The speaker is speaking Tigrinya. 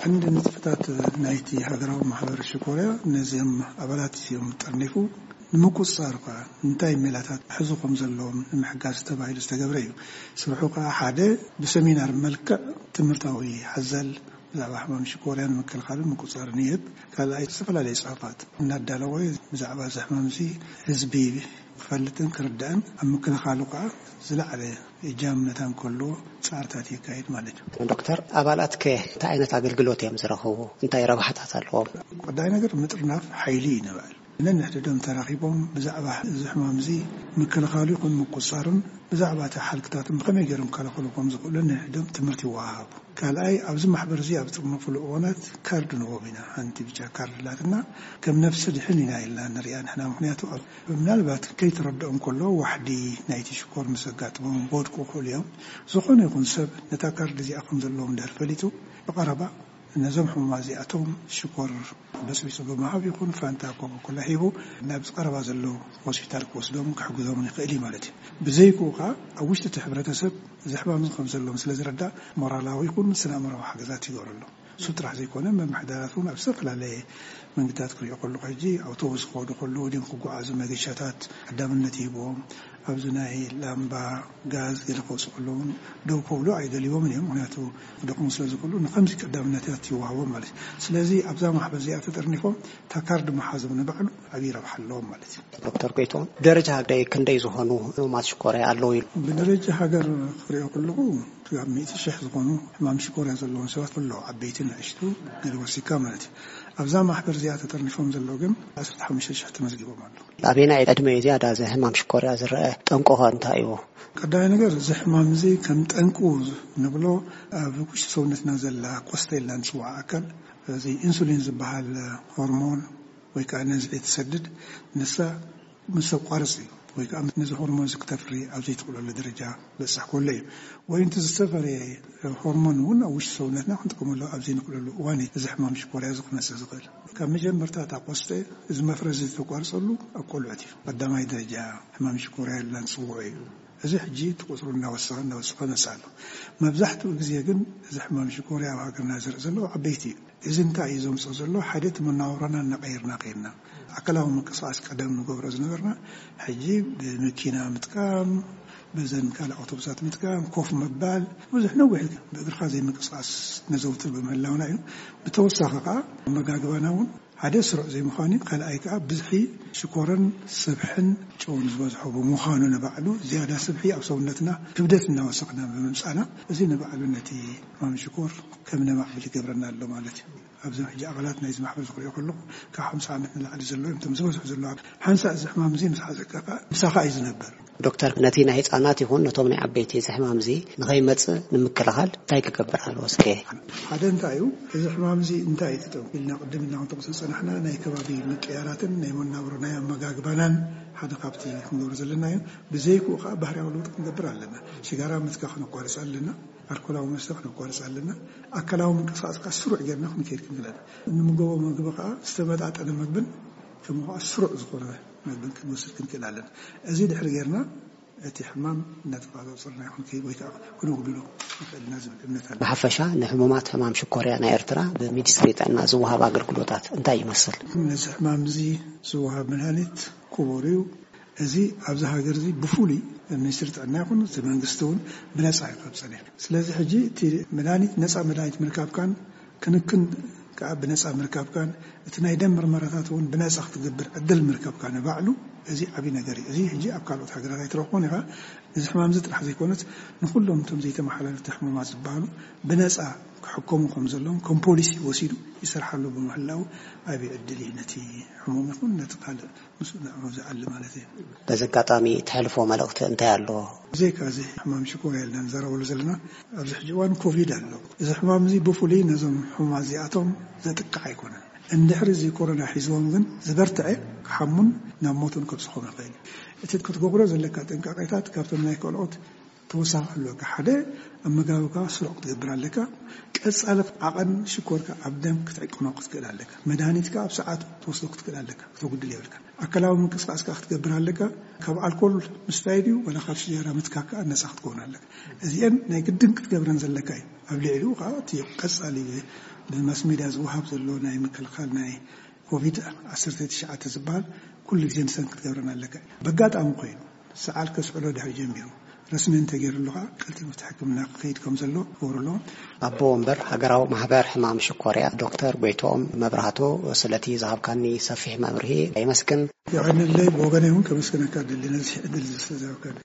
ቀንዲ ንጥፈታት ናይቲ ሃገራዊ ማሕበር ሽኮርያ ነዚኦም ኣባላት እዮም ጠርኒፉ ንምቁጽጻር እኳ እንታይ ሜላታት ሕዙ ከም ዘለዎም ንምሕጋዝ ተባሂሉ ዝተገብረ እዩ። ስርሑ ከኣ ሓደ ብሰሚናር መልክዕ ትምህርታዊ ሓዘል ብዛዕባ ሕማም ሽኮርያን ምክልኻልን ምቁጽጻርን ይህብ። ካልኣይ ዝተፈላለዩ ጽሑፋት እናዳለወ ብዛዕባ እዚ ሕማም እዚ ህዝቢ ክፈልጥን ክርዳእን ኣብ ምክልኻሉ ከኣ ዝለዓለ እጃም መታን ከሎ ጻዕርታት የካይድ ማለት እዩ። ዶክተር፣ ኣባላትከ እንታይ ዓይነት ኣገልግሎት እዮም ዝረኽቡ? እንታይ ረብሓታት ኣለዎም? ቀዳይ ነገር ምጥርናፍ ሓይሊ እዩ ንበል። ነንሕድዶም ተራኺቦም ብዛዕባ እዚ ሕማም እዚ ምክልኻሉ ይኹን ምቁጻሩን ብዛዕባ እቲ ሓልክታትን ብኸመይ ገይሮም ክከላኸሉ ከም ዝኽእሉ ነንሕድዶም ትምህርቲ ይወሃሃቡ። ካልኣይ ኣብዚ ማሕበር እዚ ኣብ ጥርነፍሉ እዋናት ካርድ ንቦም ኢና። ሓንቲ ብጫ ካርድ ኣላትና። ከም ነፍሲ ድሕን ኢና ኢልና ንሪኣ ንሕና። ምክንያቱ ኣብ ምናልባት ከይተረድኦም ከሎ ዋሕዲ ናይቲ ሽኮር ምስ ኣጋጥሞም ክወድቁ ይኽእሉ እዮም። ዝኾነ ይኹን ሰብ ነታ ካርድ እዚኣ ከም ዘለዎም እንድሕር ፈሊጡ ብቐረባ ነዞም ሕሙማት እዚኣቶም ሽኮር በጽቢጹ ብምሃብ ይኹን ፋንታ ኮካኮላ ሂቡ ናብ ዝቐረባ ዘሎ ሆስፒታል ክወስዶም ክሕግዞም ይኽእል እዩ ማለት እዩ። ብዘይክኡ ከኣ ኣብ ውሽጢ እቲ ሕብረተሰብ እዚ ሕማም እዚ ከም ዘለዎም ስለ ዝረዳእ ሞራላዊ ይኹን ስነ ኣእምሮዊ ሓገዛት ይገብረሎም። እሱ ጥራሕ ዘይኮነ መምሕዳራት እውን ኣብ ዝተፈላለየ መንገድታት ክሪኦ ከለኹ ሕጂ ኣውቶቡስ ክኸዱ ከለዉ ድም ክጓዓዙ መገሻታት ቀዳምነት ይህብዎም። ኣብዚ ናይ ላምባ ጋዝ ገለ ክወፁ ከለዉ እውን ደው ከብሉ ኣይደልይዎምን እዮም። ምክንያቱ ክደኽሙ ስለ ዝኽእሉ ንከምዚ ቀዳምነታት ይወሃቦም ማለት እዩ። ስለዚ ኣብዛ ማሕበር እዚኣ ተጠርኒፎም እታ ካርድ ምሓዞም ንባዕሉ ዓብዪ ረብሓ ኣለዎም ማለት እዩ። ዶክተር ጎይቶም፣ ደረጃ ሃገር ክንደይ ዝኾኑ ህሙማት ሽኮርያ ኣለዉ ኢሉ? ብደረጃ ሃገር ክሪኦ ከለኹ ካብ ሚእቲ ሽሕ ዝኾኑ ሕማም ሽኮርያ ዘለዎም ሰባት ኣለዉ፣ ዓበይቲ ንእሽቱ ገለ ወሲካ ማለት እዩ። ኣብዛ ማሕበር እዚኣ ተጠርኒፎም ዘለዉ ግን ዓሰርተ ሓሙሽተ ሽሕ ተመዝጊቦም ኣለዉ። ኣበየናይ ዕድመ እዩ ዝያዳ እዚ ሕማም ሽኮርያ ዝረአ? ጠንቁ ኸ እንታይ እዩ? ቀዳማይ ነገር እዚ ሕማም እዚ ከም ጠንቁ ንብሎ ኣብ ውሽጢ ሰውነትና ዘላ ቆስተ ኢልና ንፅዋዓ ኣካል እዚ ኢንሱሊን ዝበሃል ሆርሞን ወይ ከዓ ነዚ ትሰድድ ንሳ ምስ ኣቋርፅ እዩ ወይ ከዓ ነዚ ሆርሞን እዚ ክተፍሪ ኣብ ዘይትኽእለሉ ደረጃ በፅሕ ከሎ እዩ። ወይ እቲ ዝተፈረየ ሆርሞን እውን ኣብ ውሽጢ ሰውነትና ክንጥቀመሉ ኣብ ዘይንኽእለሉ እዋን እዩ እዚ ሕማም ሽኮርያ እዚ ክመፅእ ዝኽእል። ካብ መጀመርታ እታ ቆስተ እዚ መፍረ እዚ ዝተቋርፀሉ ኣብ ቆልዑት እዩ። ቀዳማይ ደረጃ ሕማም ሽኮርያ ኢልና ንፅውዖ እዩ። እዚ ሕጂ እቲ ቁፅሩ እናወሰኸ እናወሰኸ መፅእ ኣሎ። መብዛሕትኡ ግዜ ግን እዚ ሕማም ሽኮርያ ኣብ ሃገርና ዝርኢ ዘሎ ዓበይቲ እዩ። እዚ እንታይ እዩ ዘምፅኦ ዘሎ? ሓደ እቲ መነባብሮና እናቐየርና ከይድና ኣካላዊ ምንቅስቃስ ቀደም ንገብሮ ዝነበርና ሕጂ ብመኪና ምጥቃም፣ በዘን ካልእ ኣውቶቡሳት ምጥቃም፣ ኮፍ ምባል፣ ብዙሕ ነዊሕ ብእግርካ ዘይምንቅስቃስ ነዘውትር ብምህላውና እዩ። ብተወሳኺ ከዓ ኣመጋግባና እውን ሓደ ስሩዕ ዘይምዃኑ እዩ። ካልኣይ ከዓ ብዝሒ ሽኮርን ስብሕን ጨውን ዝበዝሖ ብምዃኑ ንባዕሉ ዝያዳ ስብሒ ኣብ ሰውነትና ክብደት እናወሰኽና ብምምፃና እዚ ንባዕሉ ነቲ ሕማም ሽኮር ከም ነማዕብል ይገብረና ኣሎ ማለት እዩ። ኣብዞም ሕጂ ኣባላት ናይዚ ማሕበር ዝክሪኦ ከለኹ ካብ ሓምሳ ዓመት ንላዕሊ ዘለዉ እዮም እቶም ዝበዝሑ ዘለዉ። ሓንሳእ እዚ ሕማም እዚ ምስ ሓዘካ ከዓ ምሳኻ እዩ ዝነብር። ዶክተር፣ ነቲ ናይ ህፃናት ይኹን ነቶም ናይ ዓበይቲ እዚ ሕማም እዚ ንኸይመፅእ ንምክልኻል እንታይ ክገብር ኣለዎ? እስከ ሓደ እንታይ እዩ እዚ ሕማም እዚ እንታይ እዩ ትጠው ኢልና ቅድም ኢልና ክንጠቕሶ ዝፀናሕና ናይ ከባቢ ምቅያራትን ናይ መናብሮ ናይ ኣመጋግባናን ሓደ ካብቲ ክንገብሮ ዘለና እዩ። ብዘይክኡ ከዓ ባህርያዊ ለውጢ ክንገብር ኣለና። ሽጋራ ምትካ ክነቋርፅ ኣለና። ኣልኮላዊ መስተ ክነቋርፅ ኣለና። ኣካላዊ ምንቅስቃስ ከዓ ስሩዕ ጌርና ክንከይድ ክንክእል ኣለና። እንምገቦ ምግቢ ከዓ ዝተመጣጠነ ምግብን ከምኡ ከዓ ስሩዕ ዝኾነ ምግብን ክንወስድ ክንክእል ኣለና። እዚ ድሕሪ ጌርና እቲ ሕማም እናተቆፃፀርና ይኹን ከይድ ወይ ከዓ ክነጉድሎ ንኽእል ኢና ዝብል እምነት ኣሎ። ብሓፈሻ ንሕሙማት ሕማም ሽኮርያ ናይ ኤርትራ ብሚኒስትሪ ጥዕና ዝወሃብ ኣገልግሎታት እንታይ ይመስል? ነዚ ሕማም እዚ ዝወሃብ መድሃኒት ክቡር እዩ። እዚ ኣብዚ ሃገር እዚ ብፍሉይ ሚኒስትሪ ጥዕና ይኹን እቲ መንግስቲ እውን ብነፃ እዩ ካብ ፀኒሑ። ስለዚ ሕጂ እቲ መድሃኒት ነፃ መድሃኒት ምርካብካን ክንክን ከዓ ብነፃ ምርካብካን እቲ ናይ ደም ምርመራታት እውን ብነፃ ክትገብር ዕድል ምርካብካ ንባዕሉ እዚ ዓብዪ ነገር እዩ። እዚ ሕጂ ኣብ ካልኦት ሃገራት ኣይትረኽቦን ኢኻ። እዚ ሕማም እዚ ጥራሕ ዘይኮነስ ንኩሎም እቶም ዘይተመሓላለፍቲ ሕሙማት ዝበሃሉ ብነፃ ክሕከሙ ከም ዘለዎም ከም ፖሊሲ ወሲዱ ይሰርሓሉ ብምህላው ዓብዪ ዕድል እዩ ነቲ ሕሙም ይኹን ነቲ ካልእ ምስኡ ንዕኡ ዝኣሊ ማለት እዩ። በዚ ኣጋጣሚ እተሕልፎ መልእኽቲ እንታይ ኣሎ? ብዘይካ እዚ ሕማም ሽኮር ያልና ንዛረበሉ ዘለና ኣብዚ ሕጂ እዋን ኮቪድ ኣሎ። እዚ ሕማም እዚ ብፍሉይ ነዞም ሕሙማት እዚኣቶም ዘጥቅዕ ኣይኮነን። እንድሕሪ እዚ ኮሮና ሒዝዎም ግን ዝበርትዐ ክሓሙን ናብ ሞትን ከብፅሖም ይኽእል እዩ። እቲ ክትገብሮ ዘለካ ጥንቃቄታት ካብቶም ናይ ካልኦት ተወሳኺ ኣለካ። ሓደ ኣመጋግብካ ስሩዕ ክትገብር ኣለካ። ቀጻሊ ዓቐን ሽኮርካ ኣብ ደም ክትዕቅኖ ክትክእል ኣለካ። መድሃኒትካ ኣብ ሰዓቱ ክትወስዶ ክትክእል ኣለካ። ክተጉድል የብልካ። ኣካላዊ ምንቅስቃስ ከዓ ክትገብር ኣለካ። ካብ ኣልኮል ምስታይ ድዩ ወላ ካብ ሽጀራ ምትካክ ከዓ ነፃ ክትከውን ኣለካ። እዚአን ናይ ግድን ክትገብረን ዘለካ እዩ። ኣብ ልዕሊኡ ከዓ እቲ ቀጻሊ ብማስ ሚድያ ዝወሃብ ዘሎ ናይ ምክልኻል ናይ ኮቪድ ዓሰርተ ትሽዓተ ዝበሃል ኩሉ ግዜ ንሰን ክትገብረን ኣለካ። በጋጣሚ ኮይኑ ሰዓል ከስዕሎ ድሕሪ ጀሚሩ ረስሚ እንተገይሩሉ ከዓ ቀልጢፉ እቲ ሕክምና ክኸይድ ከም ዘሎ ክገብሩ ኣለዎም። ኣቦ ወንበር ሃገራዊ ማህበር ሕማም ሽኮርያ ዶክተር ጎይትኦም መብራህቱ፣ ስለቲ ዝሃብካኒ ሰፊሕ መብርሂ የመስግን። የቐንለይ። ብወገነይ እውን ከመስግነካ ደሊ ነዚ ዕድል ስለዝሃብካኒ።